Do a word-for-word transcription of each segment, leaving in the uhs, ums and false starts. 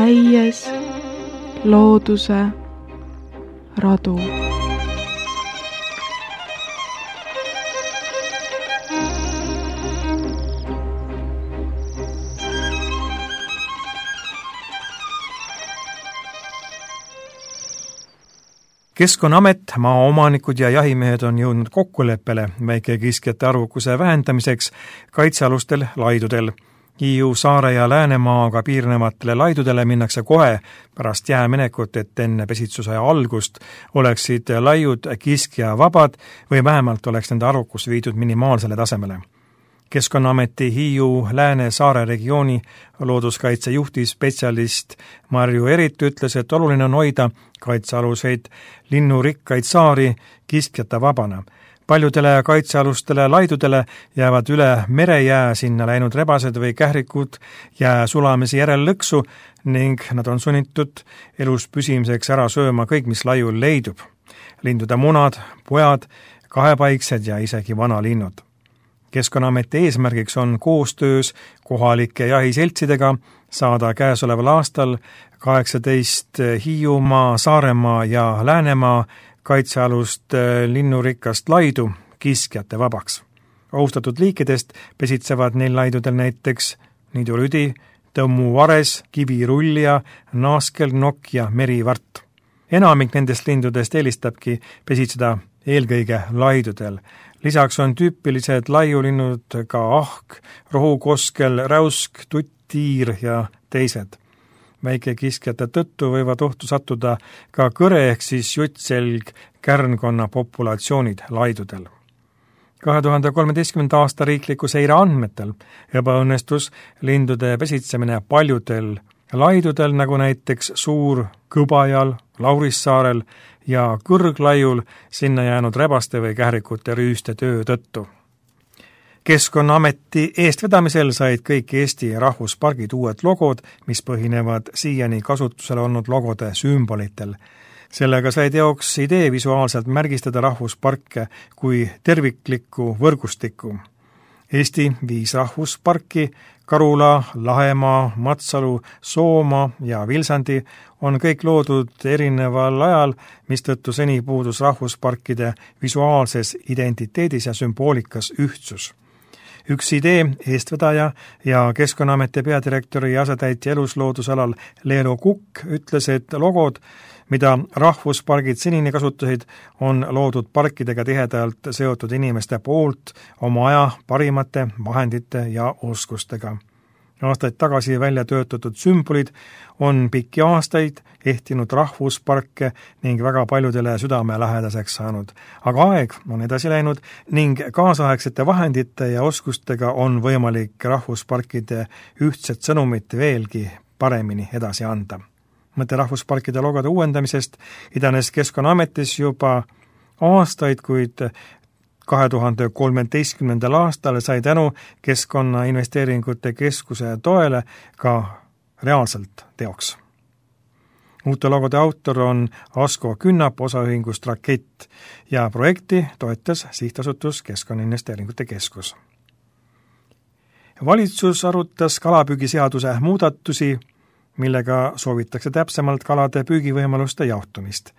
käies looduse radu. Keskkonnaamet, maaomanikud ja jahimehed on jõudnud kokkuleppele väikekiskjate arvukuse vähendamiseks kaitsealustel laidudel. Hiiu, Saare ja Läänemaaga piirnevatele laidudele minnakse kohe pärast jääminekut, et enne pesitsusaja algust oleksid laiud kiskja vabad või vähemalt oleks nende arvukus viidud minimaalsele tasemele. Keskkonnaameti Hiiu Lääne-Saare regiooni looduskaitse juhtivspetsialist Marju Erit ütles, et oluline on hoida kaitsealuseid linnurikkaid saari kiskjata vabana. Paljudele kaitsealustele laidudele jäävad üle merejää sinna läinud rebased või kährikud jää sulamise järel lõksu ning nad on sunnitud elus püsimiseks ära sööma kõik, mis laiul leidub. Lindude munad, pojad, kahepaiksed ja isegi vanalinnud. Keskkonnaameti eesmärgiks on koostöös kohalike jahiseltsidega saada käesoleval aastal kaheksateist Hiiumaa, Saaremaa ja Läänemaa kaitsealust linnurikast laidu kiskjate vabaks. Ohustatud liikidest pesitsevad neil laidudel näiteks nidurüdi, tõmmuvares, kivirullija, naaskelnokk ja merivart. Enamik nendest lindudest eelistabki pesitseda eelkõige laidudel. Lisaks on tüüpilised laiulinnud ka ahk, rohukoskel, räusk, tuttiir ja teised. Väikekiskjate tõttu võivad ohtu sattuda ka kõre ehk siis juttselg kärnkonna populatsioonid laidudel. kahe tuhande kolmeteistkümnenda aasta riikliku seire andmetel ebaõnnestus lindude pesitsemine paljudel laidudel, nagu näiteks Suur Kõbajal, Laurissaarel ja Kõrglaiul sinna jäänud rebaste või kährikute rüüste töö tõttu. Keskkonnaameti eestvedamisel said kõik Eesti rahvuspargid uued logod, mis põhinevad siiani kasutusel olnud logode sümbolitel. Sellega sai teoks idee visuaalselt märgistada rahvusparke kui terviklikku võrgustikku. Eesti viis rahvusparki, Karula, Lahemaa, Matsalu, Soomaa ja Vilsandi on kõik loodud erineval ajal, mistõttu seni puudus rahvusparkide visuaalses identiteedis ja sümboolikas ühtsus. Üks idee, eestvedaja ja Keskkonnaameti peadirektori asetäitja elusloodusalal Leelo Kukk ütles, et logod, mida rahvuspargid senini kasutasid, on loodud parkidega tihedalt seotud inimeste poolt oma aja parimate vahendite ja oskustega. Aastaid tagasi välja töötatud sümbolid on pikki aastaid ehtinud rahvusparke ning väga paljudele südamelähedaseks saanud. Aga aeg on edasi läinud ning kaasaegsete vahendite ja oskustega on võimalik rahvusparkide ühtset sõnumit veelgi paremini edasi anda. Mõte rahvusparkide logode uuendamisest idanes Keskkonnaametis juba aastaid, kuid kahe tuhande kolmeteistkümnendal aastal sai tänu Keskkonnainvesteeringute Keskuse toele ka reaalselt teoks. Uute logode autor on Asko Künnap osaühingust Rakett ja projekti toetas sihtasutus Keskkonnainvesteeringute Keskus. Valitsus arutas kalapüügiseaduse muudatusi, millega soovitakse täpsemalt kalade püügivõimaluste jaotumist.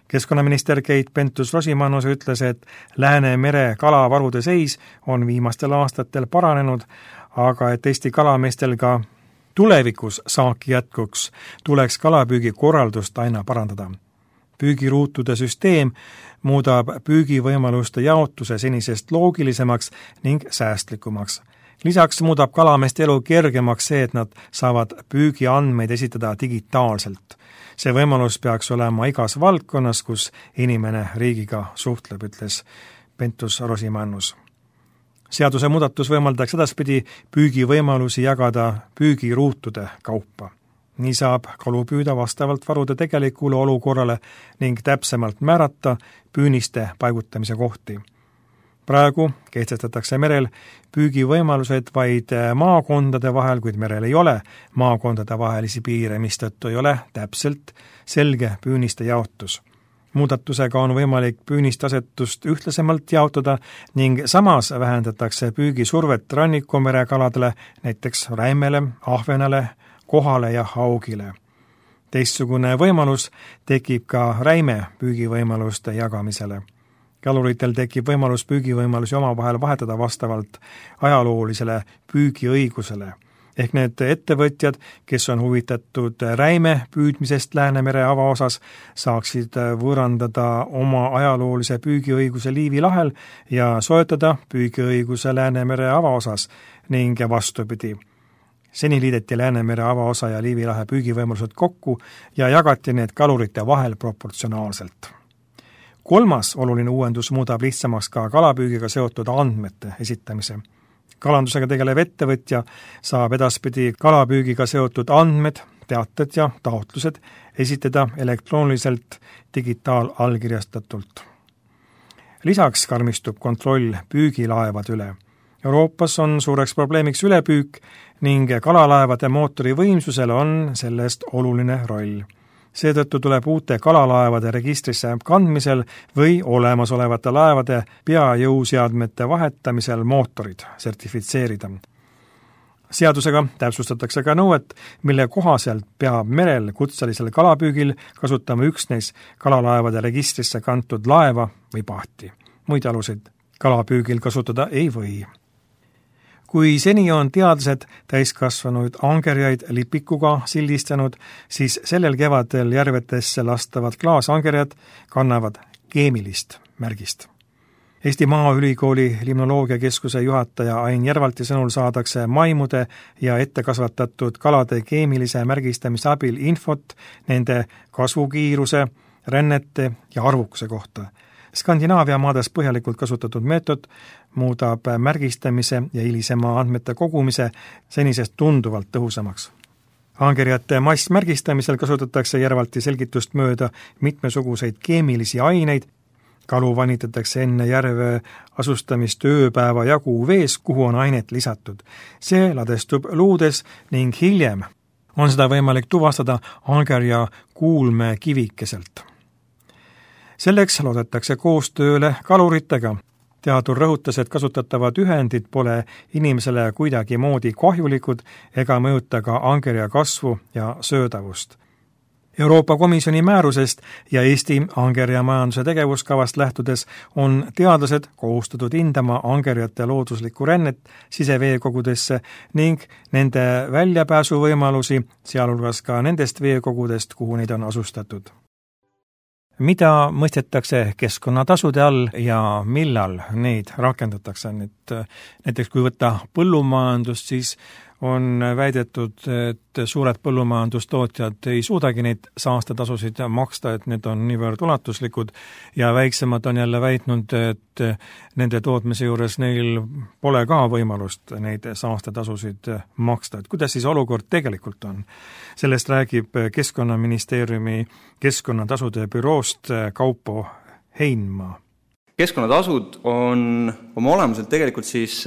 Keskkonnaminister Keit Pentus-Rosimannus ütles, et Läänemere kalavarude seis on viimastel aastatel paranenud, aga et Eesti kalameestel ka tulevikus saaki jätkuks, tuleks kalapüügi korraldust aina parandada. Püügiruutude süsteem muudab püügivõimaluste jaotuse senisest loogilisemaks ning säästlikumaks. Lisaks muudab kalameeste elu kergemaks see, et nad saavad püügiandmeid esitada digitaalselt. See võimalus peaks olema igas valdkonnas, kus inimene riigiga suhtleb, ütles Pentus-Rosimannus. Seaduse muudatus võimaldaks edaspidi püügivõimalusi jagada püügiruutude kaupa. Nii saab kalu püüda vastavalt varude tegelikule olukorrale ning täpsemalt määrata püüniste paigutamise kohti. Praegu kehtestatakse merel püügivõimalused vaid maakondade vahel, kuid merel ei ole maakondade vahelisi piire, mistõttu ei ole täpselt selge püüniste jaotus. Muudatusega on võimalik püünistasetust ühtlasemalt jaotada ning samas vähendatakse püügisurvet rannikumere kaladele, näiteks räimele, ahvenale, kohale ja haugile. Teistsugune võimalus tekib ka räime püügivõimaluste jagamisele. Kaluritel tekib võimalus püügivõimalusi omavahel vahetada vastavalt ajaloolisele püügiõigusele. Ehk need ettevõtjad, kes on huvitatud räime püüdmisest Läänemere avaosas, saaksid võõrandada oma ajaloolise püügiõiguse Liivi lahel ja soetada püügiõiguse Läänemere avaosas ning vastupidi. Seni liideti Läänemere avaosa ja Liivi lahe püügivõimalused kokku ja jagati need kalurite vahel proportsionaalselt. Kolmas oluline uuendus muudab lihtsamaks ka kalapüügiga seotud andmete esitamise. Kalandusega tegelev ettevõtja saab edaspidi kalapüügiga seotud andmed, teated ja taotlused esitada elektrooniliselt digitaalallkirjastatult. Lisaks karmistub kontroll püügilaevade üle. Euroopas on suureks probleemiks ülepüük ning kalalaevade mootori võimsusel on sellest oluline roll. Seetõttu tuleb uute kalalaevade registrisse kandmisel või olemasolevate laevade peajõuseadmete vahetamisel mootorid sertifitseerida. Seadusega täpsustatakse ka nõuet, mille kohaselt peab merel kutselisel kalapüügil kasutama üksnes kalalaevade registrisse kantud laeva või paati. Muid aluseid kalapüügil kasutada ei või. Kui seni on teadlased täiskasvanuid angerjaid lipikuga sildistanud, siis sellel kevadel järvetesse lastavad klaasangerjad kannavad keemilist märgist. Eesti Maaülikooli limnoloogiakeskuse juhataja Ain Järvalti sõnul saadakse maimude ja ettekasvatatud kalade keemilise märgistamise abil infot nende kasvukiiruse, rännete ja arvukuse kohta. Skandinaavia maades põhjalikult kasutatud meetod muudab märgistamise ja hilisema andmete kogumise senisest tunduvalt tõhusamaks. Angerjate massmärgistamisel kasutatakse Järvalti selgitust mööda mitmesuguseid keemilisi aineid, kalu vanitatakse enne järve asustamist ööpäeva jagu vees, kuhu on ainet lisatud. See ladestub luudes ning hiljem on seda võimalik tuvastada angerja kuulme kivikeselt. Selleks loodetakse koostööle kaluritega. Teadur rõhutas, et kasutatavad ühendid pole inimesele kuidagi moodi kahjulikud ega mõjuta ka angerja kasvu ja söödavust. Euroopa Komisjoni määrusest ja Eesti angerjamajanduse tegevuskavast lähtudes on teadlased kohustatud hindama angerjate looduslikku rännet siseveekogudesse ning nende väljapääsuvõimalusi, sealhulgas ka nendest veekogudest, kuhu neid on asustatud. Mida mõistetakse keskkonnatasude all ja millal neid rakendatakse? Nüüd, näiteks kui võtta põllumajandust, siis on väidetud, et suured põllumajandustootjad ei suudagi neid saastetasusid maksta, et need on niivõrd ulatuslikud ja väiksemad on jälle väitnud, et nende tootmise juures neil pole ka võimalust neid saastetasusid maksta. Et kuidas siis olukord tegelikult on? Sellest räägib Keskkonnaministeeriumi keskkonnatasude büroost Kaupo Heinmaa. Keskkonnatasud on oma olemuselt tegelikult siis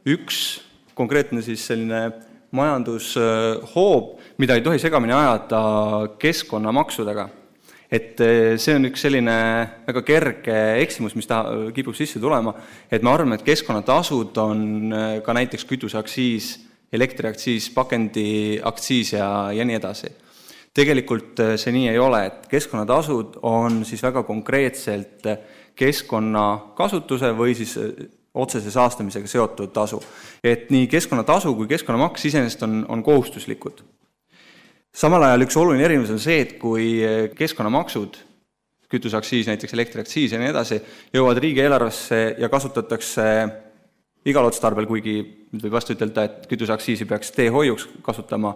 üks konkreetne siis selline majandushoob, mida ei tohi segamini ajada keskkonnamaksudega. Et see on üks selline väga kerge eksimus, mis ta kipub sisse tulema, et me arvame, et keskkonnatasud on ka näiteks kütuseaktsiis, elektriaktsiis, pakendiaktsiis ja, ja nii edasi. Tegelikult see nii ei ole, et keskkonnatasud on siis väga konkreetselt keskkonnakasutuse või siis otsese saastamisega seotud tasu. Et nii keskkonnatasu kui keskkonnamaks iseenesest on, on kohustuslikud. Samal ajal üks oluline erinevus on see, et kui keskkonnamaksud, kütuseaktsiis, näiteks elektriaktsiis ja nii edasi, jõuavad riigieelarvesse ja kasutatakse igal otstarbel, kuigi nüüd võib vastu ütelda, et kütuseaktsiisi peaks teehoiuks kasutama.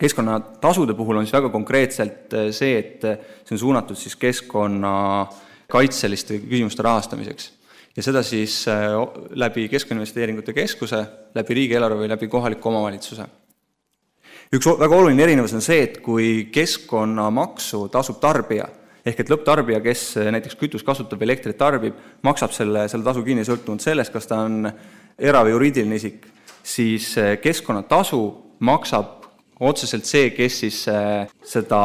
Keskkonnatasude puhul on siis väga konkreetselt see, et see on suunatud siis keskkonnakaitseliste küsimuste rahastamiseks. Ja seda siis läbi Keskkonnainvesteeringute Keskuse, läbi riigieelarve või läbi kohaliku omavalitsuse. Üks väga oluline erinevus on see, et kui keskkonnamaksu tasub tarbija, ehk et lõpptarbija, kes näiteks kütust kasutab, elektrit tarbib, maksab selle, selle tasu kinni sõltuvalt sellest, kas ta on era- või juriidiline isik, siis keskkonnatasu maksab otseselt see, kes siis seda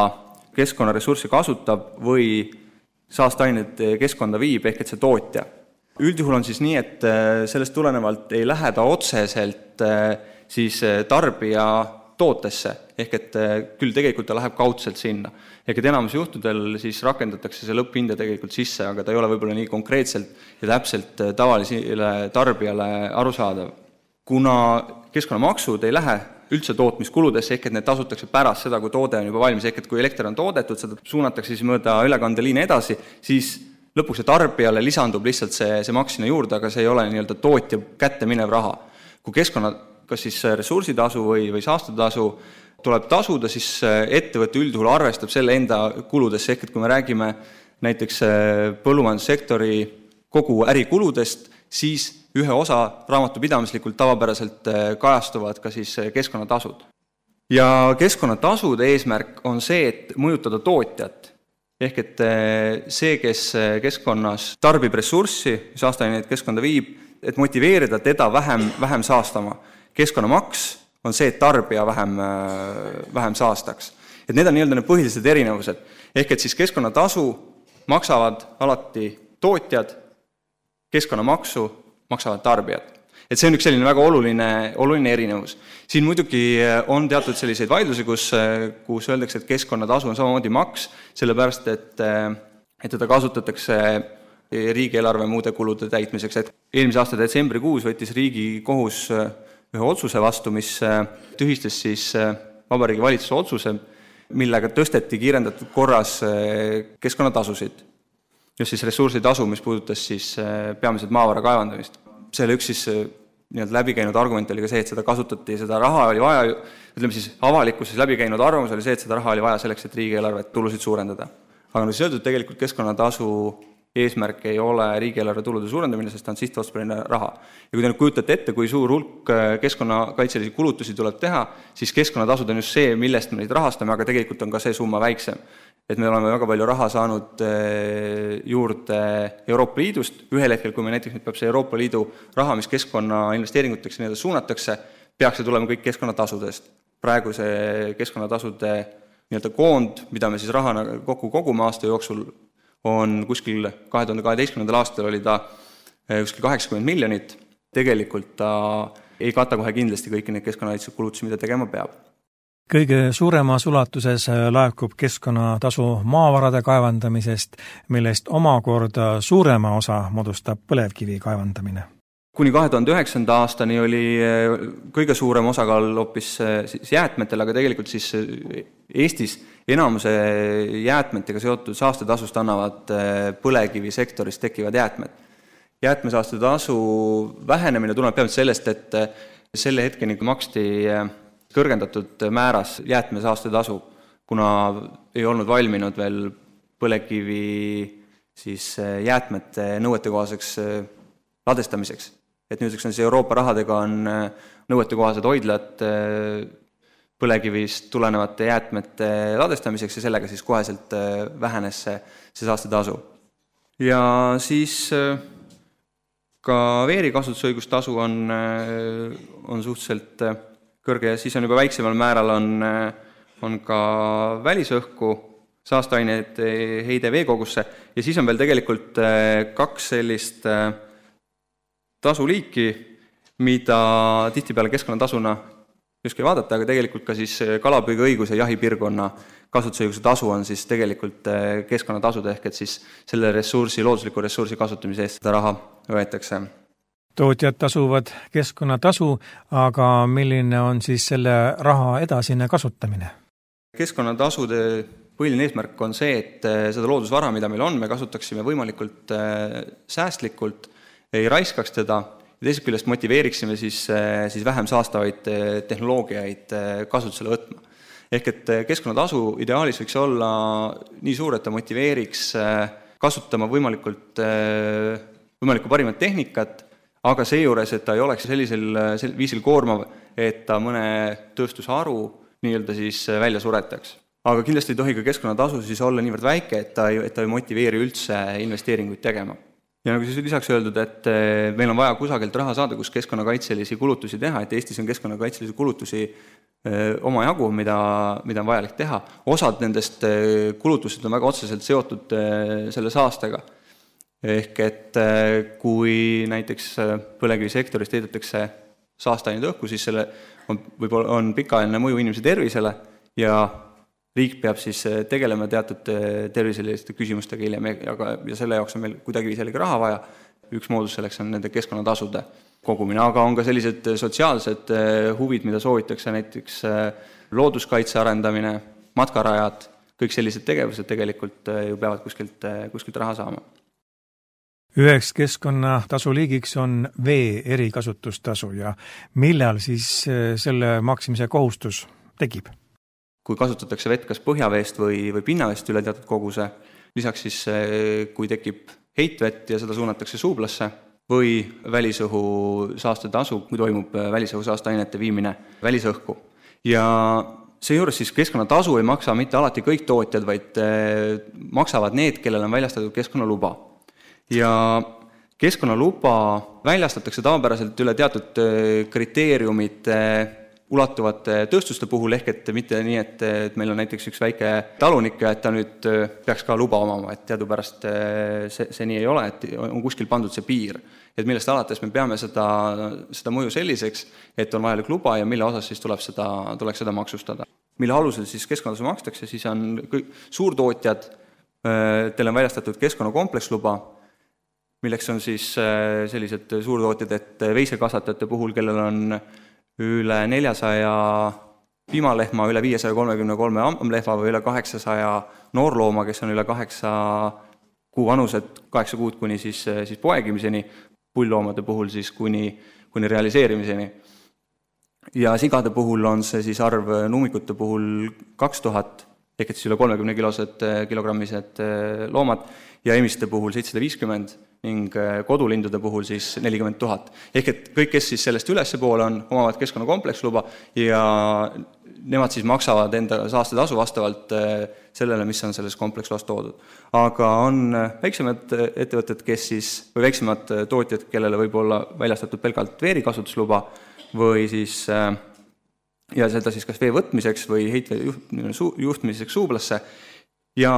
keskkonnaressurssi kasutab või saasteained keskkonda viib, ehk et see tootja. Üldjuhul on siis nii, et sellest tulenevalt ei lähe ta otseselt siis tarbija tootesse, ehk et küll tegelikult ta läheb kaudselt sinna. Ehk et enamus juhtudel siis rakendatakse see lõpphinda tegelikult sisse, aga ta ei ole võib-olla nii konkreetselt ja täpselt tavalisele tarbijale arusaadav. Kuna keskkonnamaksud ei lähe üldse tootmiskuludesse, ehk et need tasutakse pärast seda, kui toode on juba valmis, ehk et kui elekter on toodetud, seda suunatakse siis mööda ülekandeliine edasi, siis lõpuks see tarbijale lisandub lihtsalt see, see maks sinna juurde, aga see ei ole nii-öelda tootja kätte minev raha. Kui keskkonna, kas siis ressursitasu või, või saastetasu tuleb tasuda, siis ettevõtte üldjuhul arvestab selle enda kuludesse, ehk et kui me räägime näiteks põllumajandussektori kogu ärikuludest, siis ühe osa raamatupidamislikult tavapäraselt kajastuvad ka siis keskkonnatasud. Ja keskkonnatasude eesmärk on see, et mõjutada tootjat. Ehk et see, kes keskkonnas tarbib ressurssi, saastaineid keskkonda viib, et motiveerida teda vähem, vähem saastama. Keskkonnamaks on see, et tarbija vähem, vähem saastaks. Et need on nii-öelda need põhilised erinevused. Ehk et siis keskkonnatasu maksavad alati tootjad, keskkonnamaksu maksavad tarbijad. Et see on üks selline väga oluline, oluline erinevus. Siin muidugi on teatud selliseid vaidlusi, kus, kus öeldakse, et keskkonnatasu on samamoodi maks, sellepärast, et, et teda kasutatakse riigieelarve muude kulude täitmiseks. Et eelmise aasta detsembrikuus võttis Riigikohus ühe otsuse vastu, mis tühistas siis Vabariigi Valitsuse otsuse, millega tõsteti kiirendatud korras keskkonnatasusid. Just siis ressursitasu, mis puudutas siis peamiselt maavara kaevandamist. Selle üks siis nii-öelda läbikäinud argument oli ka see, et seda kasutati, seda raha oli vaja, ütleme siis avalikkuses läbikäinud arvamus oli see, et seda raha oli vaja selleks, et riigieelarvet tulusid suurendada. Aga nagu öeldud, tegelikult keskkonnatasu eesmärk ei ole riigieelarve tulude suurendamine, sest ta on sihtotstarbeline raha. Ja kui te nüüd kujutate ette, kui suur hulk keskkonnakaitselisi kulutusi tuleb teha, siis keskkonnatasud on just see, millest me neid rahastame, aga tegelikult on ka see summa väiksem. Et me oleme väga palju raha saanud juurde Euroopa Liidust. Ühel hetkel, kui me näiteks peab see Euroopa Liidu raha, mis keskkonna investeeringuteks nii-öelda suunatakse, peaks see tulema kõik keskkonnatasudest. Praegu see keskkonnatasude nii-öelda koond, mida me siis rahana kokku kogume aasta jooksul, on kuskil kahe tuhande kaheteistkümnendal aastal oli ta kuskil kaheksakümmend miljonit. Tegelikult ta ei kata kohe kindlasti kõiki neid keskkonnakaitselisi kulutusi, mida tegema peab. Kõige suuremas ulatuses laekub keskkonnatasu maavarade kaevandamisest, millest omakorda suurema osa moodustab põlevkivi kaevandamine. Kuni kahe tuhande üheksanda aastani oli kõige suurem osakaal hoopis siis jäätmetel, aga tegelikult siis Eestis enamuse jäätmetega seotud saastetasust annavad põlevkivisektoris tekivad jäätmed. Jäätmesaastetasu vähenemine tuleb peamiselt sellest, et selle hetkeni maksti kõrgendatud määras jäätmesaastetasu, kuna ei olnud valminud veel põlevkivi siis jäätmete nõuetekohaseks ladestamiseks. Et nüüdseks on siis Euroopa rahadega on nõuetekohased hoidlad põlevkivist tulenevate jäätmete ladestamiseks ja sellega siis koheselt vähenes see, see saastetasu. Ja siis ka veerikasutusõigustasu on, on suhteliselt kõrge ja siis on juba väiksemal määral on, on ka välisõhku saasteaineid heide veekogusse ja siis on veel tegelikult kaks sellist tasuliiki, mida tihtipeale keskkonnatasuna just ei vaadata, aga tegelikult ka siis kalapüügiõigus ja jahipiirkonna kasutusõiguse tasu on siis tegelikult keskkonnatasud ehk et siis selle ressursi, loodusliku ressursi kasutamise eest seda raha võetakse. Tootjad tasuvad keskkonnatasu, aga milline on siis selle raha edasine kasutamine? Keskkonnatasude põhiline eesmärk on see, et seda loodusvara, mida meil on, me kasutaksime võimalikult säästlikult, ei raiskaks teda ja teisest küljest motiveeriksime siis, siis vähem saastavaid tehnoloogiaid kasutusele võtma. Ehk et keskkonnatasu ideaalis võiks olla nii suur, et ta motiveeriks kasutama võimalikult, võimalikult parimat tehnikat, aga seejuures, et ta ei oleks sellisel, sellisel viisil koormav, et ta mõne tööstusharu nii-öelda siis välja suretaks. Aga kindlasti ei tohi ka keskkonnatasu siis olla niivõrd väike, et ta ei, et ta ei motiveeri üldse investeeringuid tegema. Ja nagu siis lisaks öeldud, et meil on vaja kusagilt raha saada, kus keskkonnakaitselisi kulutusi teha, et Eestis on keskkonnakaitselisi kulutusi oma jagu, mida, mida on vajalik teha. Osad nendest kulutused on väga otseselt seotud selle saastega. Ehk et kui näiteks põlevkivisektorist heidetakse saasteaineid õhku, siis selle on, võib-olla on pikaajaline mõju inimese tervisele ja riik peab siis tegelema teatud terviseliste küsimustega hiljem ja, ja selle jaoks on meil kuidagi isegi raha vaja. Üks moodus selleks on nende keskkonnatasude kogumine, aga on ka sellised sotsiaalsed huvid, mida soovitakse, näiteks looduskaitse arendamine, matkarajad, kõik sellised tegevused tegelikult ju peavad kuskilt, kuskilt raha saama. Üheks keskkonnatasu liigiks on vee erikasutustasu ja millal siis selle maksimise kohustus tekib? Kui kasutatakse vett kas põhjaveest või, või pinnaveest üle teatud koguse, lisaks siis kui tekib heitvett ja seda suunatakse suublasse või välisõhu saastetasu, kui toimub välisõhu saasteainete viimine välisõhku. Ja seejuures siis keskkonnatasu ei maksa mitte alati kõik tootjad, vaid maksavad need, kellel on väljastatud keskkonnaluba. Ja keskkonnaluba väljastatakse tavapäraselt üle teatud kriteeriumid ulatuvate tööstuste puhul, ehk et mitte nii, et, et meil on näiteks üks väike talunik ja et ta nüüd peaks ka luba omama, et teadupärast see, see nii ei ole, et on kuskil pandud see piir. Et millest alates me peame seda, seda mõju selliseks, et on vajalik luba ja mille osas siis tuleb seda, tuleks seda maksustada. Mille alusel siis keskkonnatasu makstakse, siis on kõik suurtootjad, teil on väljastatud keskkonnakompleksluba, milleks on siis sellised suurtootjad, et veisekasvatajate puhul, kellel on üle neljasaja piimalehma, üle viiesaja kolmekümne kolme ammlehva või üle kaheksasaja noorlooma, kes on üle kaheksa kuu vanused, kaheksa kuud kuni siis, siis poegimiseni, pullloomade puhul siis kuni, kuni realiseerimiseni. Ja sigade puhul on see siis arv nuumikute puhul kaks tuhat, ehk et siis üle kolmekümne kilosed, kilogrammised loomad ja emiste puhul seitsesada viiskümmend ning kodulindude puhul siis nelikümmend tuhat. Ehk et kõik, kes siis sellest ülesse poole on, omavad keskkonnakompleksluba ja nemad siis maksavad enda saastetasu vastavalt sellele, mis on selles kompleksloas toodud. Aga on väiksemad ettevõtted, kes siis, või väiksemad tootjad, kellele võib olla väljastatud pelgalt veerikasutusluba või siis ja seda siis kas vee võtmiseks või heitvee juhtmiseks suublasse ja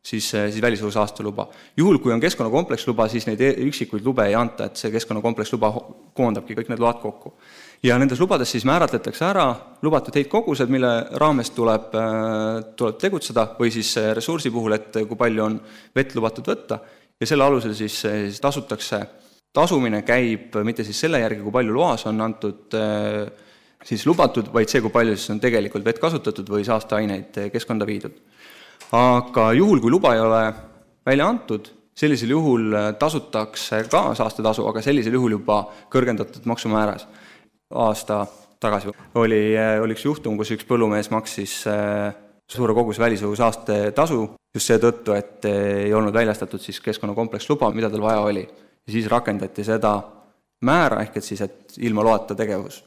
siis, siis välisõhu saasteluba. Juhul, kui on keskkonnakompleksluba, siis neid üksikuid lube ei anta, et see keskkonnakompleksluba koondabki kõik need load kokku. Ja nendes lubades siis määratletakse ära lubatud heitkogused, mille raames tuleb, tuleb tegutseda või siis ressursi puhul, et kui palju on vett lubatud võtta ja selle alusel siis, siis tasutakse. Tasumine käib mitte siis selle järgi, kui palju loas on antud siis lubatud, vaid see, kui palju siis on tegelikult vett kasutatud või saasteaineid keskkonda viidud. Aga juhul, kui luba ei ole välja antud, sellisel juhul tasutakse ka saastetasu, aga sellisel juhul juba kõrgendatud maksumääras. Aasta tagasi oli, oli üks juhtum, kus üks põllumees maksis suure kogus välisõhu saastetasu just seetõttu, et ei olnud väljastatud siis keskkonnakompleksluba, mida tal vaja oli. Ja siis rakendati seda määra, ehk et siis, et ilma loata tegevus.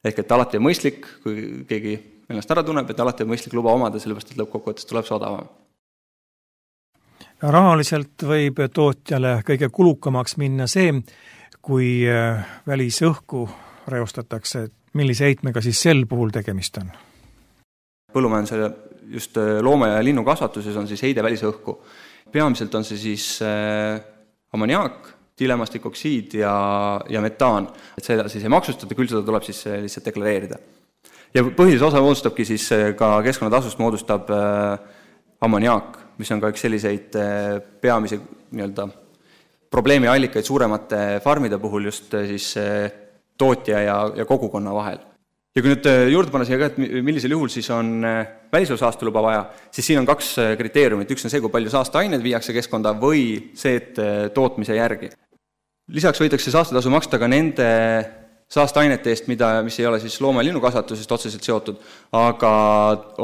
Ehk et alati on mõistlik, kui keegi ennast ära tunneb, et alati on mõistlik luba omada, sellepärast, et lõppkokkuvõttes tuleb see odavam. Rahaliselt võib tootjale kõige kulukamaks minna see, kui välisõhku reostatakse, millise heitmega siis sel puhul tegemist on? Põllumajanduse just looma- ja linnukasvatuses on siis heide välisõhku. Peamiselt on see siis ammoniaak, dilemastikoksiid ja, ja metaan. Et seda siis ei maksustata, küll seda tuleb siis lihtsalt deklareerida. Ja põhilise osa moodustabki siis ka keskkonnatasust moodustab ammoniaak, mis on ka üks selliseid peamisi nii-öelda probleemi allikaid suuremate farmide puhul just siis tootja ja, ja kogukonna vahel. Ja kui nüüd juurde panna siia ka, et millisel juhul siis on välisõhu saasteluba vaja, siis siin on kaks kriteeriumit. Üks on see, kui palju saasteaineid viiakse keskkonda või see, et tootmise järgi. Lisaks võidakse saastetasu maksta ka nende saasteainete eest, mida, mis ei ole siis looma- ja linnukasvatusest otseselt seotud, aga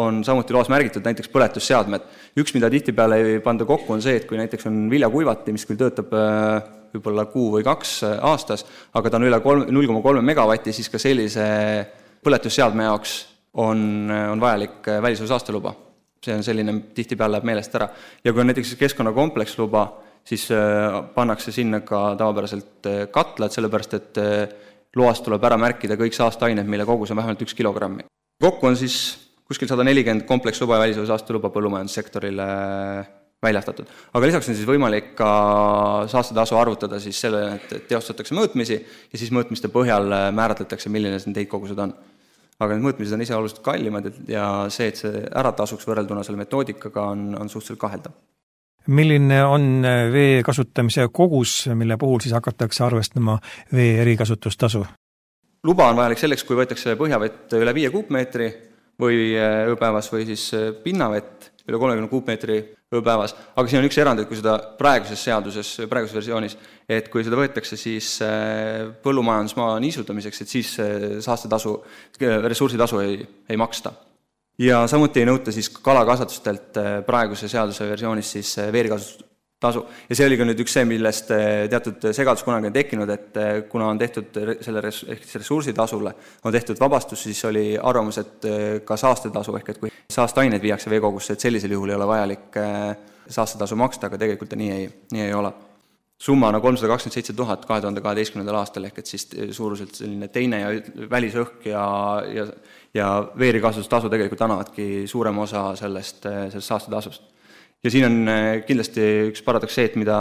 on samuti loas märgitud näiteks põletusseadmed. Üks, mida tihtipeale ei panda kokku, on see, et kui näiteks on viljakuivati, mis küll töötab võib-olla kuu või kaks aastas, aga ta on üle null koma kolm megavatti, siis ka sellise põletusseadme jaoks on, on vajalik välisõhu saasteluba. See on selline, tihtipeale läheb meelest ära. Ja kui on näiteks keskkonnakompleksluba, siis pannakse sinna ka tavapäraselt katlad, sellepärast et loast tuleb ära märkida kõik saasteained, mille kogus on vähemalt üks kilogrammi. Kokku on siis kuskil sada nelikümmend kompleksluba ja välisõhu saasteluba põllumajandussektorile väljastatud. Aga lisaks on siis võimalik ka saastetasu arvutada siis sellele, et teostatakse mõõtmisi ja siis mõõtmiste põhjal määratletakse, milline need heitkogused on. Aga need mõõtmised on ise oluliselt kallimad ja see, et see ära tasuks võrrelduna selle metoodikaga on, on suhteliselt kaheldav. Milline on vee kasutamise kogus, mille puhul siis hakatakse arvestama vee erikasutustasu? Luba on vajalik selleks, kui võetakse põhjavett üle viie kuupmeetri või ööpäevas või siis pinnavett üle kolmekümne kuupmeetri ööpäevas. Aga siin on üks erand, et kui seda praeguses seaduses, praeguses versioonis, et kui seda võetakse siis põllumajandusmaa niisutamiseks, et siis saastetasu, ressursitasu ei, ei maksta. Ja samuti ei nõuta siis kalakasvatustelt praeguse seaduse versioonis siis veerikasutustasu. Ja see oli ka nüüd üks see, millest teatud segadus kunagi on tekkinud, et kuna on tehtud selle ressursitasule, on tehtud vabastus, siis oli arvamus, et ka saastetasu, ehk et kui saasteaineid viiakse veekogusse, et sellisel juhul ei ole vajalik saastetasu maksta, aga tegelikult nii ei, nii ei ole. Summa on kolmsada kakskümmend seitse tuhat kahe tuhande kaheteistkümnendal aastal, ehk et siis suuruselt selline teine ja välisõhk ja, ja, ja veerikasutustasu tegelikult annavadki suurem osa sellest, sellest saastetasust. Ja siin on kindlasti üks paradoks see, et mida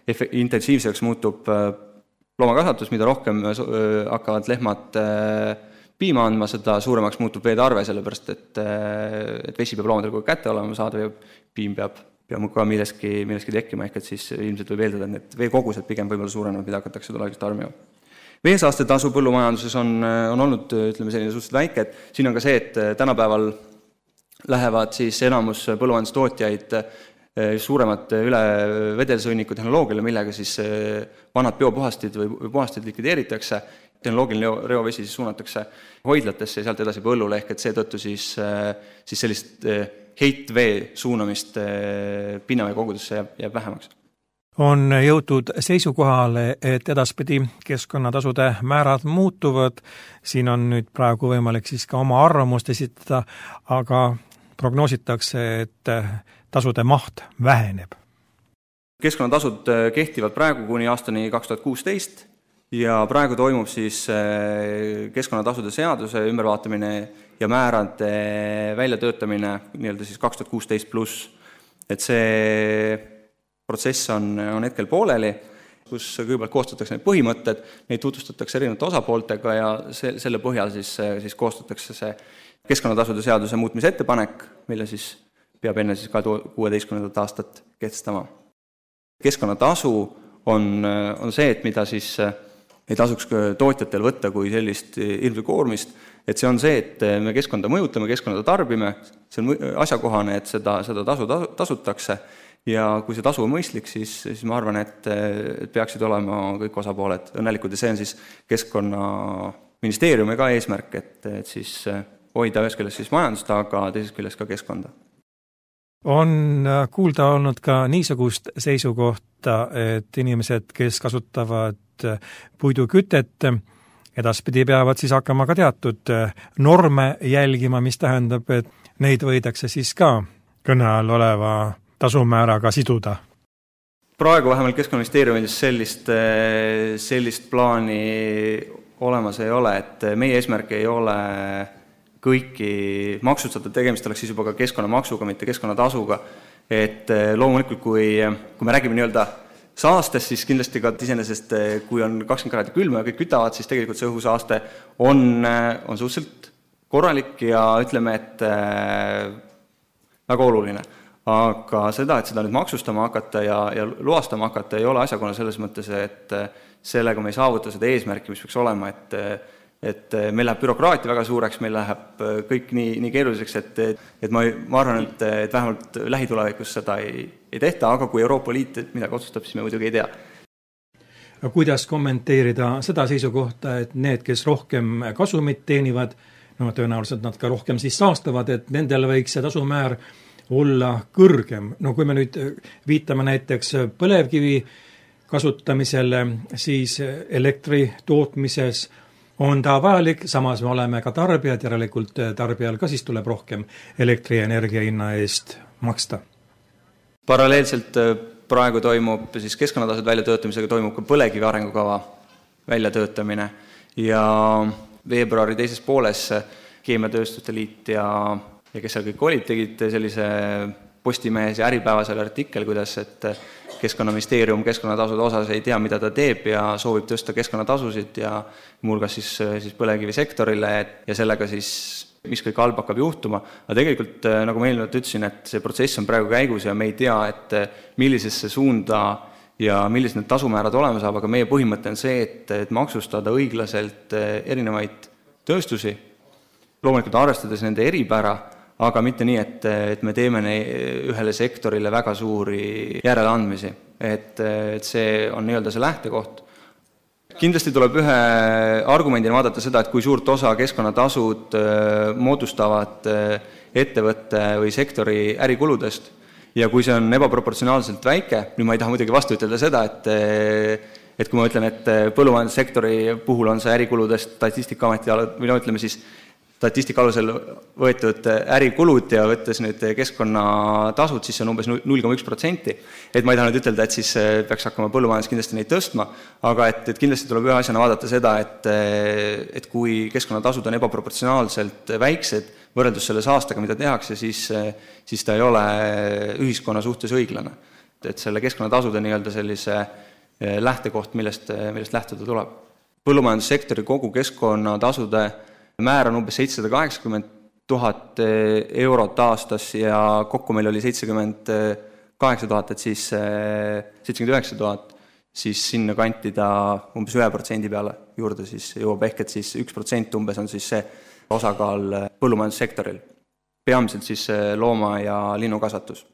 intensiivseks muutub loomakasvatus, mida rohkem hakkavad lehmad piima andma, seda suuremaks muutub veetarve, sellepärast et, et vesi peab loomadel kogu kätte olema saada ja piim peab, peab ka milleski, milleski tekkima, ehk et siis ilmselt võib eeldada, et need veekogused pigem võib-olla suurenevad, mida hakatakse tulevikus tarbima. Veesaastetasu põllumajanduses on, on olnud ütleme, selline suhteliselt väike, et siin on ka see, et tänapäeval lähevad siis enamus põllumajandustootjaid suuremad üle vedelsõnniku tehnoloogiale, millega siis vanad biopuhastid või puhastid likvideeritakse. Tehnoloogiline reovesi siis suunatakse hoidlatesse ja sealt edasi põllule, ehk et seetõttu siis, siis sellist heitvee suunamist pinnavee kogudesse jääb, jääb vähemaks. On jõutud seisukohale, et edaspidi keskkonnatasude määrad muutuvad. Siin on nüüd praegu võimalik siis ka oma arvamust esitada, aga prognoositakse, et tasude maht väheneb. Keskkonnatasud kehtivad praegu kuni aastani kaks tuhat kuusteist ja praegu toimub siis keskkonnatasude seaduse ümbervaatamine ja määrade väljatöötamine nii-öelda siis kaks tuhat kuusteist pluss. Et see protsess on, on hetkel pooleli, kus kõigepealt koostatakse need põhimõtted, neid tutvustatakse erinevate osapooltega ja see, selle põhjal siis, siis koostatakse see keskkonnatasude seaduse muutmise ettepanek, mille siis peab enne siis kahe tuhande kuueteistkümnendat aastat kehtestama. Keskkonnatasu on, on see, et mida siis ei tasuks tootjatel võtta kui sellist ilmselt koormist, et see on see, et me keskkonda mõjutame, keskkonda tarbime, see on asjakohane, et seda, seda tasu tasutakse ja kui see tasu on mõistlik, siis, siis ma arvan, et, et peaksid olema kõik osapooled õnnelikud ja see on siis Keskkonnaministeeriumi ka eesmärk, et, et siis hoida ühes küljest siis majandust, aga teises küljest ka keskkonda. On kuulda olnud ka niisugust seisukohta, et inimesed, kes kasutavad puidukütet, edaspidi peavad siis hakkama ka teatud norme jälgima, mis tähendab, et neid võidakse siis ka kõne all oleva tasumääraga siduda. Praegu vähemalt Keskkonnaministeeriumis sellist, sellist plaani olemas ei ole, et meie eesmärk ei ole kõiki maksustada, tegemist oleks siis juba ka keskkonnamaksuga, mitte keskkonnatasuga. Et loomulikult, kui, kui me räägime nii-öelda saastest, siis kindlasti ka iseenesest, kui on kakskümmend kraadi külma ja kõik kütavad, siis tegelikult see õhusaaste on, on suhteliselt korralik ja ütleme, et väga oluline. Aga seda, et seda nüüd maksustama hakata ja, ja loastama hakata, ei ole asjakonna selles mõttes, et sellega me ei saavuta seda eesmärki, mis peaks olema, et, et meil läheb bürokraatia väga suureks, meil läheb kõik nii, nii keeruliseks, et, et ma, ma arvan, et, et vähemalt lähitulevikus seda ei, ei tehta, aga kui Euroopa Liit midagi otsustab, siis me muidugi ei tea. Kuidas kommenteerida seda seisukohta, et need, kes rohkem kasumit teenivad, no tõenäoliselt nad ka rohkem siis saastavad, et nendel võiks see tasumäär olla kõrgem. No kui me nüüd viitame näiteks põlevkivi kasutamisele, siis elektri tootmises on ta vajalik, samas me oleme ka tarbijad, järelikult tarbijal ka siis tuleb rohkem elektrienergia hinna eest maksta. Paralleelselt praegu toimub siis keskkonnatasud väljatöötamisega, toimub ka põlevkivi arengukava väljatöötamine ja veebruari teises pooles Keemiatööstuste Liit ja ja kes seal kõik olid, tegid sellise Postimehes ja Äripäevas oli artikkel, kuidas et Keskkonnaministeerium keskkonnatasude osas ei tea, mida ta teeb ja soovib tõsta keskkonnatasusid ja muulgas siis, siis põlevkivisektorile ja sellega siis mis kõik halb hakkab juhtuma, aga tegelikult, nagu ma eelnevalt ütlesin, et see protsess on praegu käigus ja me ei tea, et millisesse suunda ja millised need tasumäärad olema saab, aga meie põhimõte on see, et, et maksustada õiglaselt erinevaid tööstusi, loomulikult arvestades nende eripära, aga mitte nii, et, et me teeme ühele sektorile väga suuri järeleandmisi. Et, et see on nii-öelda see lähtekoht. Kindlasti tuleb ühe argumendina vaadata seda, et kui suurt osa keskkonnatasud moodustavad ettevõtte või sektori ärikuludest ja kui see on ebaproportsionaalselt väike, nüüd ma ei taha muidugi vastu ütelda seda, et, et kui ma ütlen, et põllumajandussektori puhul on see ärikuludest Statistikaameti või no ütleme siis statistika alusel võetud ärikulud ja võttes nüüd keskkonnatasud, siis see on umbes null koma üks protsenti. Et ma ei taha nüüd ütelda, et siis peaks hakkama põllumajandus kindlasti neid tõstma, aga et, et kindlasti tuleb ühe asjana vaadata seda, et, et kui keskkonnatasud on ebaproportsionaalselt väiksed võrreldes selle saastaga, mida tehakse, siis, siis ta ei ole ühiskonna suhtes õiglane. Et selle keskkonnatasude nii-öelda sellise lähtekoht, millest, millest lähtuda tuleb. Põllumajandussektori kogu keskkonnatasude määr on umbes seitsesada kaheksakümmend tuhat eurot aastas ja kokku meil oli seitsekümmend kaheksa tuhat, et siis seitsekümmend üheksa tuhat, siis sinna kantida umbes ühe protsendi peale juurde siis jõuab ehk, et siis üks protsent umbes on siis see osakaal põllumajandussektoril. Peamiselt siis looma- ja linnukasvatus.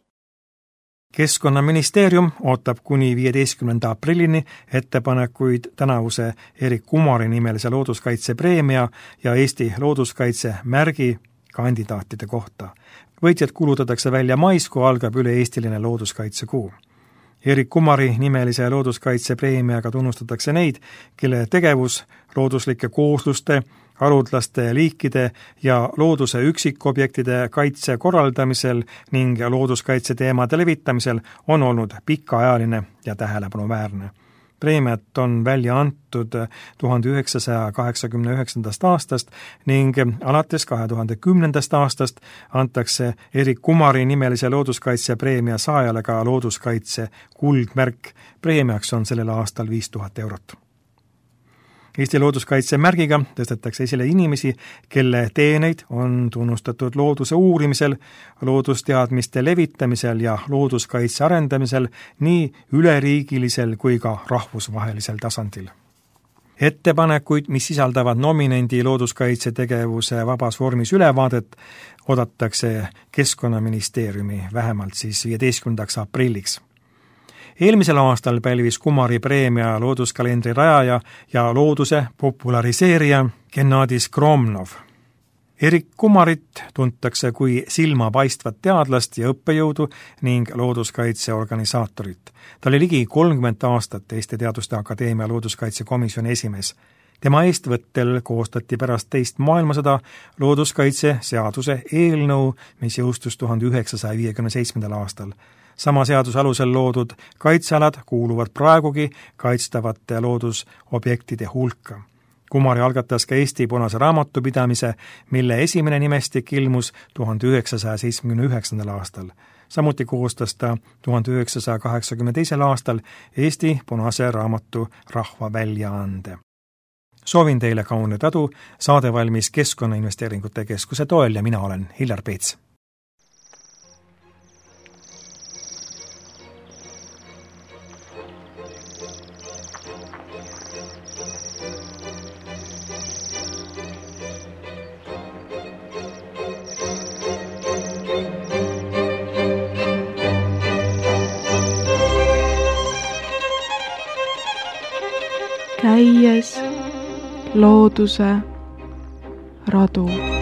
Keskkonnaministeerium ootab kuni viieteistkümnenda aprillini ettepanekuid tänavuse Erik Kumari nimelise looduskaitsepreemia ja Eesti looduskaitse märgi kandidaatide kohta. Võitjad kuulutatakse välja mais, kui algab üle-eestiline looduskaitsekuu. Erik Kumari nimelise looduskaitsepreemiaga tunnustatakse neid, kelle tegevus looduslike koosluste, harudlaste liikide ja looduse üksikobjektide kaitse korraldamisel ning looduskaitse teemade levitamisel on olnud pikaajaline ja tähelepanuväärne. Preemiat on välja antud tuhande üheksasaja kaheksakümne üheksandast aastast ning alates kahe tuhande kümnendast aastast antakse Erik Kumari nimelise looduskaitsepreemia saajale ka looduskaitse kuldmärk. Preemiaks on sellel aastal viis tuhat eurot. Eesti looduskaitse märgiga tõstetakse esile inimesi, kelle teeneid on tunnustatud looduse uurimisel, loodusteadmiste levitamisel ja looduskaitse arendamisel nii üleriigilisel kui ka rahvusvahelisel tasandil. Ettepanekuid, mis sisaldavad nominendi looduskaitse tegevuse vabas vormis ülevaadet, oodatakse Keskkonnaministeeriumi vähemalt siis viieteistkümnendaks aprilliks. Eelmisel aastal pälvis Kumari preemia looduskalendri rajaja ja looduse populariseerija Gennadi Skromnov. Erik Kumarit tuntakse kui silmapaistvat teadlast ja õppejõudu ning looduskaitse organisaatorit. Ta oli ligi kolmkümmend aastat Eesti Teaduste Akadeemia looduskaitsekomisjoni esimees. Tema eestvõttel koostati pärast teist maailmasõda looduskaitse seaduse eelnõu, mis jõustus tuhande üheksasaja viiekümne seitsmendal aastal. Sama seaduse alusel loodud kaitsealad kuuluvad praegugi kaitstavate loodusobjektide hulka. Kumari algatas ka Eesti punase raamatupidamise, mille esimene nimestik ilmus tuhande üheksasaja seitsmekümne üheksandal aastal. Samuti koostas ta tuhande üheksasaja kaheksakümne teisel aastal Eesti punase raamatu rahva väljaande. Soovin teile kaunit adu, saade valmis Keskkonnainvesteeringute Keskuse toel ja mina olen Hillar Peets. Käies looduse radu.